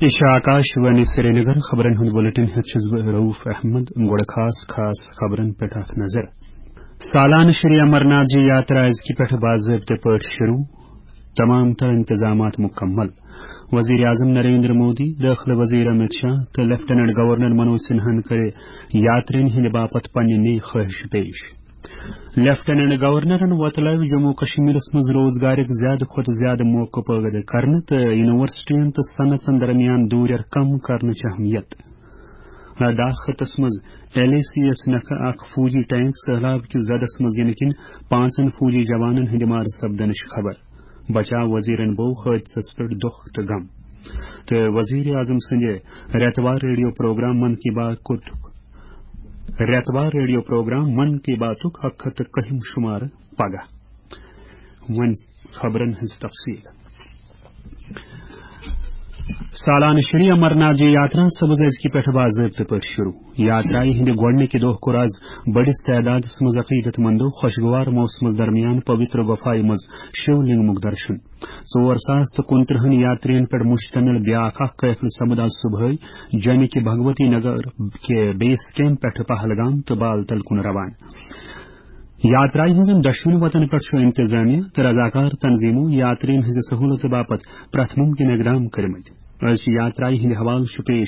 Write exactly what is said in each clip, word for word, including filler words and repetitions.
یہِ چھِ آکاش وانی سرینگر۔ خبرن ہُنٛد بُلٹن ہیٚتھ چھُس بہٕ رؤف احمد۔ گۄڈٕ خاص خاص خبرن پٮ۪ٹھ اکھ نظر۔ سالانہٕ شری امرناتھ جی یاترا أزکہِ پٮ۪ٹھٕ باضٲبطہٕ پٲٹھۍ شروع، تمام تر انتظامات مکمل۔ وزیر اعظم نریندر مودی، دٲخلہٕ وزیر امت شاہ تہٕ لیفٹیننٹ گورنر منوج سنہاہن کٔرِ یاترین ہٕنٛدِ باپتھ پننہِ نٔے خٲہِشہٕ پیش۔ لیفٹیننٹ گورنرن وۄتلٲوۍ جموں کشمیرس منٛز روزگارٕکۍ زیادٕ کھۄتہٕ زیادٕ موقعہٕ پٲدٕ کرنہٕ تہٕ یونیورسٹین تہٕ صنعژن درمیان دوٗرٮ۪ر کم کرنٕچ اہمیت۔ لداخ خطس منٛز ایل اے سی یس نکھٕ اکھ فوجی ٹینک سہلاب کِس زدس منٛز یِنہٕ کِنۍ پانٛژن فوجی جوانن ہٕنٛدِ مارٕ سپدنٕچ خبر۔ بچاو وزیرن بوو حٲدثس پٮ۪ٹھ دۄکھ تہٕ غم۔ تہٕ وزیر اعظم سٕنٛدِ رٮ۪توار ریڈیو پروگرام من کی بات کوٚت رٮ۪توار ریڈیو پروگرام من کی باتُک اکھ ہتھ تہٕ کٔہِم شمارٕ پگاہ۔ وۄنۍ خبرن ہٕنٛز تفصیٖل۔ سالانہٕ شری امرناتھ جی یاترا سپٕز أزکہِ پٮ۪ٹھٕ باضٲبطہٕ پٲٹھۍ شروع۔ یاترایہِ ہٕنٛدِ گۄڈٕنِکہِ دۄہ کوٚر از بٔڑِس تعدادس منٛز عقیدت مندو خوشگوار موسمس درمیان پویتر گۄپھایہِ منٛز شیو لنگمُک درشن۔ ژور ساس تہٕ کُنترٕہن یاترین پٮ۪ٹھ مشتمل بیاکھ اکھ قٲفلہٕ سپُد از صبحٲے جوٚمہِ کہِ بھگوتی نگر کہِ بیس کیمپ پٮ۪ٹھٕ پہلگام تہٕ بالتل کُن روانہٕ۔ یاترایہِ ہٕنٛزن دۄشوٕنی وتن پٮ۪ٹھ چھُ انتظامیہ تہٕ رضاکار تنظیمو یاترین ہٕنٛزِ سہولژٕ باپتھ پرٛٮ۪تھ مُمکِن اقدام کٔرمٕتۍ۔ أزچہِ یاترایہِ ہٕنٛدِ حوالہٕ چھُ پیش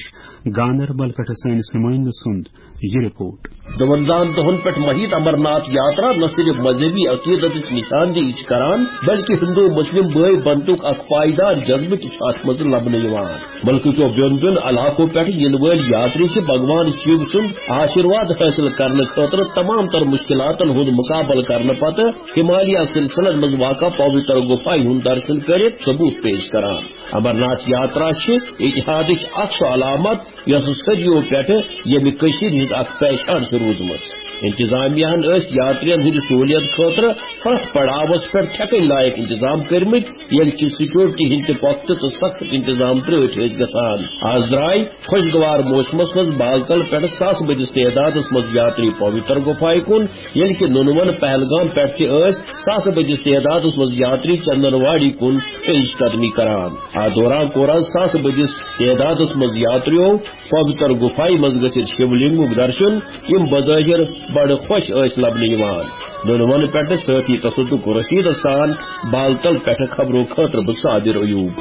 گاندربل پٮ۪ٹھٕ سٲنِس نُمٲیندٕ سُنٛد یہِ رپورٹ۔ دُوَنزاہَن دۄہَن پٮ۪ٹھ مٔہِتھ امرناتھ یاترا نہ صرف مذہبی عقیدتٕچ نشاندہی چھِ کران، بلکہ ہندو مسلم بٲے بنتُک اکھ پائیدار جذبہٕ تہِ چھُ اتھ منٛز لبنہٕ یِوان۔ ملکہٕ کیو بیوٚن بیوٚن علاقو پٮ۪ٹھ یِنہٕ وٲلۍ یاتری چھِ بھگوان شیو سُنٛد آشیرواد حٲصِل کرنہٕ خٲطرٕ تمام تر مشکلاتن ہُنٛد مقابلہٕ کرنہٕ پتہٕ ہمالیہ سلسلن منٛز واقع پویتر گُفایہِ ہُنٛد درشن کٔرِتھ ثبوت پیش کران۔ امرناتھ یاترا چھِ اتحادٕچ اکھ سۄ علامت یۄس صدیو پٮ۪ٹھٕ ییٚمہِ کٔشیٖرِ ہٕنٛز اکھ پہچان چھِ روٗزمٕژ۔ انتظامیہ ہن ٲسۍ یاترین ہٕنٛدِ سہوٗلیت خٲطرٕ پرٛٮ۪تھ پڑاوس پٮ۪ٹھ ٹھیکٕنۍ لایق انتظام کٔرمٕتۍ، ییٚلہِ کہِ سیکورٹی ہٕنٛدۍ تہِ پۄختہٕ تہٕ سخت انتظام ترٛٲوِتھ ٲسۍ گژھان۔ از درٛاے خۄشگوار موسمس منٛز بالتل پٮ۪ٹھ ساسہٕ بٔدِس تعدادس منٛز یاتری پویتر گُفایہِ کُن، ییٚلہِ کہِ نُنوَن پہلگام پٮ۪ٹھ تہِ ٲسۍ ساسہٕ بٔدِس تعدادس منٛز یاتری چندن واڑی کُن پیش قدمی کران۔ اتھ دوران کوٚر از ساسہٕ بٔدِس تعدادس منٛز یاتریو پویتر گُفایہِ منٛز گٔژھِتھ شِولنگُک درشن، یِم بظٲہِر بڑٕ خۄش ٲسۍ لبنہٕ یِوان۔ نُنوَن پٮ۪ٹھٕ سٲتھی تصدق رشیدس سان بالتل پٮ۪ٹھٕ خبرو خٲطرٕ بہٕ صابر ایوب۔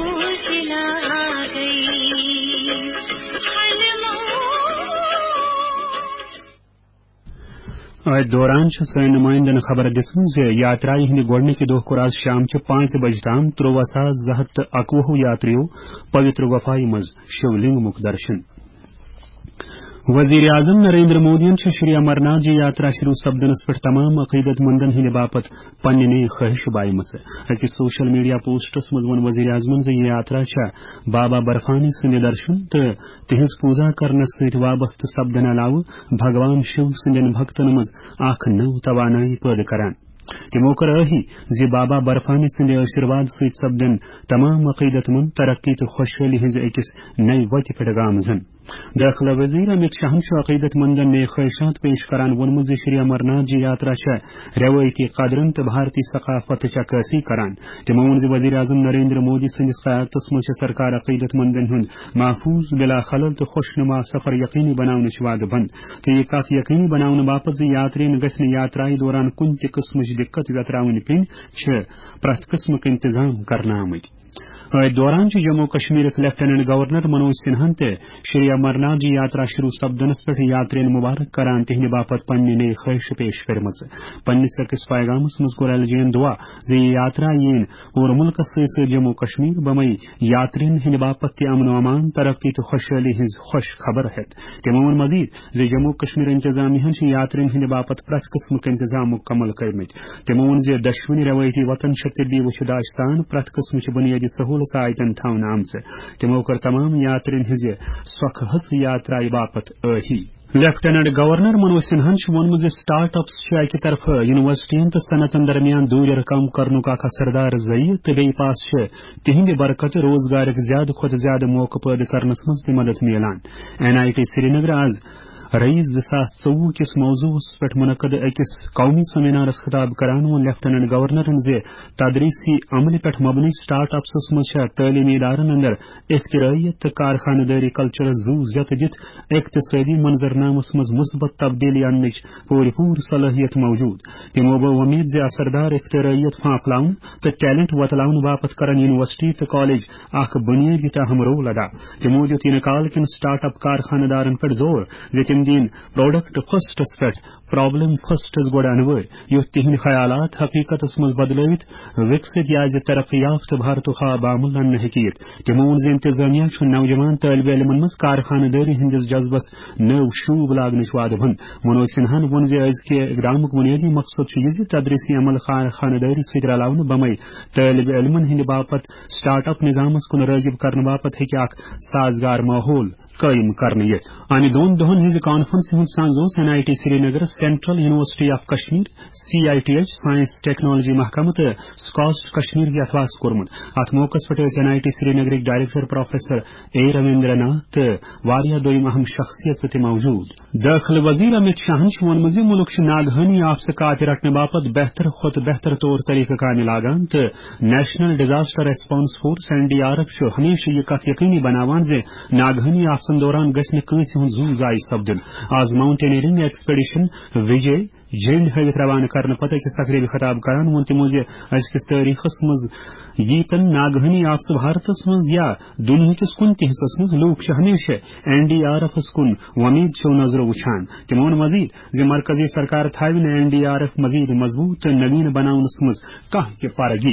أتھۍ دوران چھِ سٲنۍ نُمٲیندَن خبر دِژمٕژ زِ یاترایہِ ہٕنٛدِ گۄڈٕنِکہِ دۄہ کوٚر آز شام چہِ پانٛژِ بجہِ تام ترٛوواہ ساس زٕ ہتھ تہٕ اَکوُہ یاترِیو پویتر گۄپھایہِ منٛز شِو لنگمُک درشن۔ وزیر اعظم نریندر مودیَن چھِ شری امرناتھ جی یاترا شروع سپدنس پٮ۪ٹھ تمام عقیدت مندن ہٕنٛدِ باپتھ پننہِ نٔے خٲہِش بایمٕژ۔ أکِس سوشل میڈیا پوسٹس منٛز ووٚن وزیر اعظمن زِ یہِ یاترا چھےٚ بابا برفانی سٕنٛدِ درشن تہٕ تِہنٛز پوٗزا کرنس سۭتۍ وابستہٕ سپدن علاوٕ بھگوان شِو سٕنٛدٮ۪ن بھکتن منٛز اکھ نٔو توانٲیی پٲدٕ کران۔ تِمو کٔر ٲہی زِ بابا برفانی سٕنٛدِ آشیرواد سۭتۍ سپدن تمام عقیدت مند ترقی تہٕ خۄشحٲلی ہٕنٛزِ أکِس نَیہِ وتہِ پٮ۪ٹھ گامزن۔ دٲخلہٕ وزیر امت شاہن چھُ عقیدت مندن نئے خواہشات پیش کران ووٚنمُت زِ شری امرناتھ جی یاترا چھےٚ روایتی قدرن تہٕ بھارتی ثقافتٕچ عکاسی کران۔ تِمو ووٚن زِ وزیر اعظم نریندر مودی سٕنٛدِس قیادتس منٛز چھےٚ سرکار عقیدت مندن ہُنٛد محفوظ، بلا خلل تہٕ خوشنما سفر یقینی بناونٕچ وعدٕ بنٛد تہٕ یہِ کتھ یقینی بناونہٕ باپتھ زِ یاترین گژھِ نہٕ یاترایہِ دوران کُنہِ تہِ قٕسمٕچ دِقت ویتراوٕنۍ پیٚنۍ، چھِ پرٛٮ۪تھ قٕسمٕکۍ انتظام کرنہٕ آمٕتۍ۔ أتھۍ دوران چھُ جموں کشمیرٕک لیفٹیننٹ گورنر منوج سنہاہن تہِ شری امرناتھ جی یاترا شروع سپدنس پٮ۪ٹھ یاترین مبارک کران تِہنٛدِ باپتھ پننہِ نٔے خٲہشہٕ پیش کٔرمٕژ۔ پننِس أکِس پیغامس منٛز کوٚر ایل جی ین دعا زِ یہِ یاترا یِن پوٗرٕ مُلکس سۭتۍ سۭتۍ جموں کشمیر بمے یاترین ہٕنٛدِ باپتھ تہِ امن و امان، ترقی تہٕ خۄشحٲلی ہٕنٛز خۄش خبر ہٮ۪تھ۔ تِمو ووٚن مزید زِ جموں کشمیر انتظامیہ ہن چھِ یاترین ہٕنٛدِ باپتھ پرٛٮ۪تھ قٕسمٕک انتظام مکمل کٔرمٕتۍ۔ تِمو ووٚن زِ دۄشوٕنی روایتی وطن چھِ طبی وُچھِ داج سان پرٛٮ۪تھ قٕسمٕچہِ بُنیٲدی سہوٗلژ آیتن تھاونہٕ آمژٕ۔ تِمو کٔر تمام یاترین ہٕنٛزِ سۄکھٕ ہٕژ یاترایہِ باپتھ ٲہی۔ لیفٹیننٹ گورنر منوج سنہاہن چھُ ووٚنمُت زِ سٹارٹ اپس چھِ اکہِ طرفہٕ یونیورسٹین تہٕ صنعتن درمیان دوٗرِ رقم کرنُک اکھ اثردار ذٔریعہٕ تہٕ بیٚیہِ پاس چھِ تِہنٛدِ برکتہٕ روزگارٕکۍ زیادٕ کھۄتہٕ زیادٕ موقعہٕ پٲدٕ کرنس منٛز تہِ مدد میلان۔ این آئی ٹی سرینگر آز رئیس زٕ ساس ژوٚوُہ کِس موضوعس پٮ۪ٹھ منعقد أکِس قومی سیمینارس خطاب کران ووٚن لیفٹیننٹ گورنرن زِ تدریسی عملہِ پٮ۪ٹھ مبنی سٹارٹ اپسس منٛز چھےٚ تعلیمی ادارن اندر اختراعیت تہٕ کارخانہٕ دٲری کلچرس زُو زیتہٕ دِتھ اقتصٲدی منظرنامس منٛز مثبت تبدیلی اننٕچ پوٗرٕ پوٗرٕ صلٲحیت موجود۔ تِمو بٲو وۄمید زِ اثردار اختراعیت پھانپھلاونہٕ تہٕ ٹیلنٹ وۄتلاونہٕ باپتھ کرن یونیورسٹی تہٕ کالج اکھ بنیٲدی تہٕ اہم رول ادا۔ تِمو دیُت یِنہٕ کال کٮ۪ن سٹارٹ اپ کارخانہٕ دارن پٮ۪ٹھ زور زِ تِم دِن پروڈکٹ فرسٹس پٮ۪ٹھ پرابلم فرسٹس گۄڈٕ انوٲرۍ، یُتھ تِہنٛدۍ خیالات حقیقتس منٛز بدلٲوِتھ وِکسِت یا زِ ترقی یافتہٕ بھارتُک خواب عمل اننہٕ ہیٚکہِ یِتھ۔ تِمو ووٚن زِ انتظامیہ چھُ نوجوان طٲلبہِ علمن منٛز کارخانہٕ دٲری ہٕنٛدِس جذبس نٔو شوٗب لاگنٕچ وعدٕ ہُنٛد۔ منوج سنہاہن ووٚن زِ أزکہِ اقدامُک بنیٲدی مقصد چھُ یہِ زِ تدریسی عمل کارخانہٕ دٲری سۭتۍ رلاونہٕ بمے طٲلبہِ علمن ہٕنٛدِ باپتھ سٹارٹ اپ نظامس کُن رٲغب کرنہٕ باپتھ ہیٚکہِ اکھ سازگار ماحول قٲیِم کرنہٕ یِتھ۔ امہِ دۄن دۄہن ہٕنٛزِ کانفرنسہِ ہُنٛد سنز اوس این آئی ٹی سرینگرس central university of Kashmir, C I T H, science technology محکمہٕ تہٕ سکاسٹ کشمیر یتھ واس کوٚرمُت۔ اتھ موقعس پٮ۪ٹھ ٲسۍ این آئی ٹی سرینگرٕکۍ director professor A Ravinder Nath تہٕ واریاہ دوٚیِم اہم شخصیژٕ تہِ موجود۔ دٲخلہٕ وزیر امت شاہن چھُ ووٚنمُت زِ مُلک چھُ ناگہٲنی آفژٕ کاپہِ رٹنہٕ باپتھ بہتر کھۄتہٕ بہتر طور طریقہٕ کامہِ لاگان تہٕ national disaster response force, N D R F, چھُ ہمیشہٕ یہِ کتھ یقینی بناوان زِ ناگہٲنی آفژن دوران گژھِ نہٕ کٲنٛسہِ ہُنٛد زُو ضایع سپدُن۔ آز ماؤنٹینئرنگ ایکسپیڈیشن وجے جھنڈ ہٲوِتھ روانہٕ کرنہٕ پتہٕ أکِس تقریبہِ خطاب کران ووٚن تِمو زِ أزکِس تٲریخس منٛز ییٖتن ناگہٲنی آفژٕ بھارتس منٛز یا دُنیاہکِس کُنہِ تہِ حصس منٛز لوٗکھ چھِ ہمیشہٕ این ڈی آر ایفس کُن وۄمید چھو نظرو وٕچھان۔ تِمو ووٚن مزید زِ مرکزی سرکار تھاوِ نہٕ این ڈی آر ایف مزید مضبوط تہٕ نوین بناونس منٛز کانٛہہ تہِ فرق۔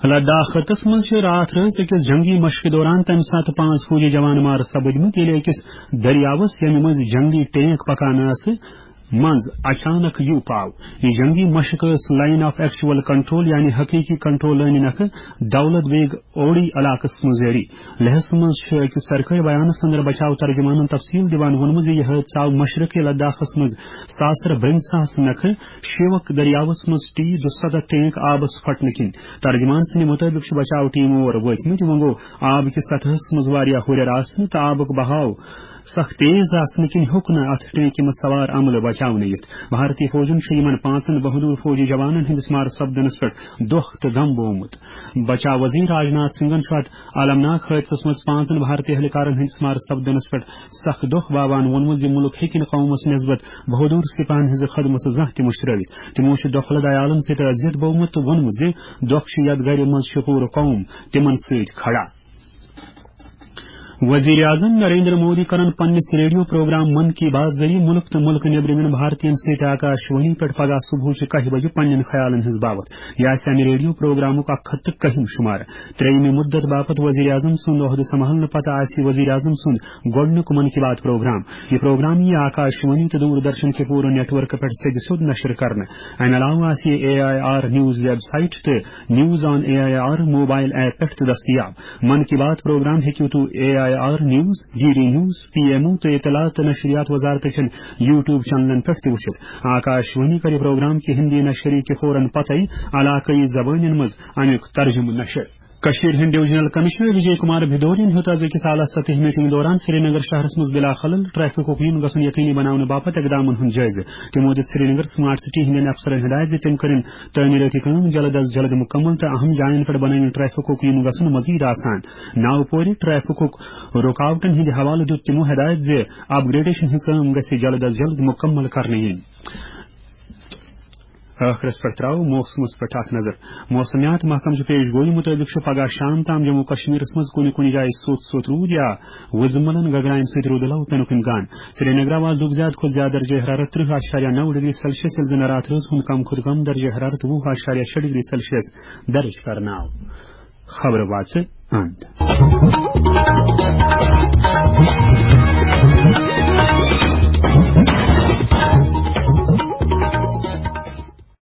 لداخ خطس منٛز چھِ راتھ رٲژ أکِس جنگی مشقہِ دوران تَمہِ ساتہٕ پانٛژھ فوجی جوان مارٕ سپٕدمٕتۍ، ییٚلہِ أکِس دٔریاوَس، ییٚمہِ مٔنٛزۍ جنگی ٹینک پکان ٲسہٕ، منٛز اچانک یوٗ پاو۔ یہِ جنگی مشق ٲس لائن آف ایکچوئل کنٹرول، یعنی حقیقی کنٹرول لٲنہِ نکھٕ دولت بیگ اوڑی علاقس منٛز جٲری۔ لیہس منٛز چھُ أکِس سرکٲرۍ بیانس اندر بچاو ترجمانن تفصیل دِوان ووٚنمُت زِ یہِ حٲدثہٕ آو مشرقی لداخس منٛز ساسر برنساہس نکھٕ شیوک دٔریاوس منٛز ٹی دُسَتتھ ٹینک آبس پھٹنہٕ کِنۍ۔ ترجمان سٕنٛدِ مُطٲبِق چھِ بچاو ٹیٖم اور وٲتمٕتۍ، وۄنۍ گوٚو آب کِس سطحس منٛز واریاہ ہُرٮ۪ر آسنہٕ تہٕ آبُک بہاو سخ تیز آسنہٕ کِنۍ ہیوٚک نہٕ اتھ ٹینکہِ منٛز سوار عملہٕ بچاونہٕ یِتھ۔ بھارتی فوجن چھُ یِمن پانٛژن بہادر فوجی جوانن ہٕنٛدِس مارٕ سپدنس پٮ۪ٹھ دۄکھ تہٕ غم بوومُت۔ بچاو وزیر راجناتھ سنگھن چھُ اتھ المناک حٲدثس منٛز پانٛژن بھارتی اہلکارن ہٕنٛدِس مارٕ سپدنس پٮ۪ٹھ سخ دۄکھ باوان ووٚنمُت زِ مُلک ہیٚکہِ نہٕ قومس نسبت بہادر سپاہن ہٕنٛزٕ خدمژٕ زانٛہہ تہِ مٔشرٲوِتھ۔ تِمو چھُ دۄکھٕ لد عیالن سۭتۍ اذیت بوومُت تہٕ ووٚنمُت زِ دۄکھ چھُ یتھ گرِ منٛز چھُ پوٗرٕ قوم تِمن سۭتۍ کھڑا۔ وزیر اعظم نریندر مودی کرن پننِس ریڈیو پروگرام من کی بات ذٔریعہٕ مُلک تہٕ مُلکہٕ نیٚبرِمٮ۪ن بھارتین سۭتۍ آکاش وانی پٮ۪ٹھ پگاہ صبحٕچہِ کاہہِ بجہِ پننٮ۪ن خیالن ہٕنٛز باوتھ۔ یہِ آسہِ امہِ ریڈیو پروگرامُک اکھ ہتھ تہٕ کٔہِم شُمارٕ۔ ترٛیٚیِمہِ مُدت باپتھ وزیر اعظم سُنٛد عہدٕ سنبھالنہٕ پتہٕ آسہِ یہِ وزیر اعظم سُنٛد گۄڈٕنیُک من کی بات پروگرام۔ یہِ پروگرام یِیہِ آکاش وانی تہٕ دوردرشن کہِ پوٗرٕ نیٹ ورکہٕ پٮ۪ٹھ سیٚدِ سیوٚد نشر کرنہٕ۔ امہِ علاوٕ آسہِ یہِ A I R news website تہٕ news on A I R mobile app پٮ۪ٹھ تہِ دٔستیاب۔ من کی بات پروگرام ہیٚکِو تُہۍ A I R news, D D news, P M O تہٕ اطلاعات تہٕ نشریات وزارتہٕ چٮ۪ن یوٹیوب چینلن پٮ۪ٹھ تہِ وٕچھِتھ۔ آکاش وانی کرِ پروگرام کہِ ہندی نشری کہِ فوراً پتَے علاقٲیی زبٲنٮ۪ن منٛز امیُک ترجمہٕ نشر۔ کٔشیٖرِ ہٕنٛدۍ ڈویژنل کمشنر وجے کمار بھدورین ہیوٚت از أکِس اعلیٰ سطحی میٹنگ دوران سرینگر شہرس منٛز بلا خلل ٹریفکُک یُن گژھُن یقینی بناونہٕ باپتھ اقدامن ہُنٛد جٲیزٕ۔ تِمو دِژ سرینگر سمارٹ سٹی ہٕنٛدٮ۪ن افسرن ہدایت زِ تِم کٔرِن تعمیٖرٲتی کٲم جلد از جلد مُکمل تہٕ اہم جاین پٮ۪ٹھ بنٲوِن ٹریفکُک یُن گژھُن مزید آسان۔ ناوپورِ ٹریفکُک رُکاوٹن ہٕنٛدِ حوالہٕ دیُت تِمو ہدایت زِ اپ گریڈیشن ہٕنٛز کٲم گژھِ جلد از جلد مُکمل کرنہٕ یِنۍ۔ ٲخرس پٮ۪ٹھ ترٛاوو موسمس پٮ۪ٹھ اکھ نظر۔ موسمیات محکمہٕ چہِ پیش گویی مُطٲبِق چھُ پگاہ شام تام جموں کشمیرس منٛز کُنہِ کُنہِ جایہِ سوٚت سوٚت روٗد یا وُزملن گگراین سۭتۍ روٗدٕ لو پینُک امکان۔ سرینگرٕ آو آزُک زیادٕ کھۄتہٕ زیادٕ درجہ حرارت ترٕہ اعشاریہ نَو ڈگری سیلسیس، ییٚلہِ زن راتھ رٲژ ہُنٛد کم کھۄتہٕ کم درجہ حرارت وُہ اعشاریہ شےٚ ڈگری سیلسیس درج کرنہٕ آو۔ خبرٕ واژٕ اند۔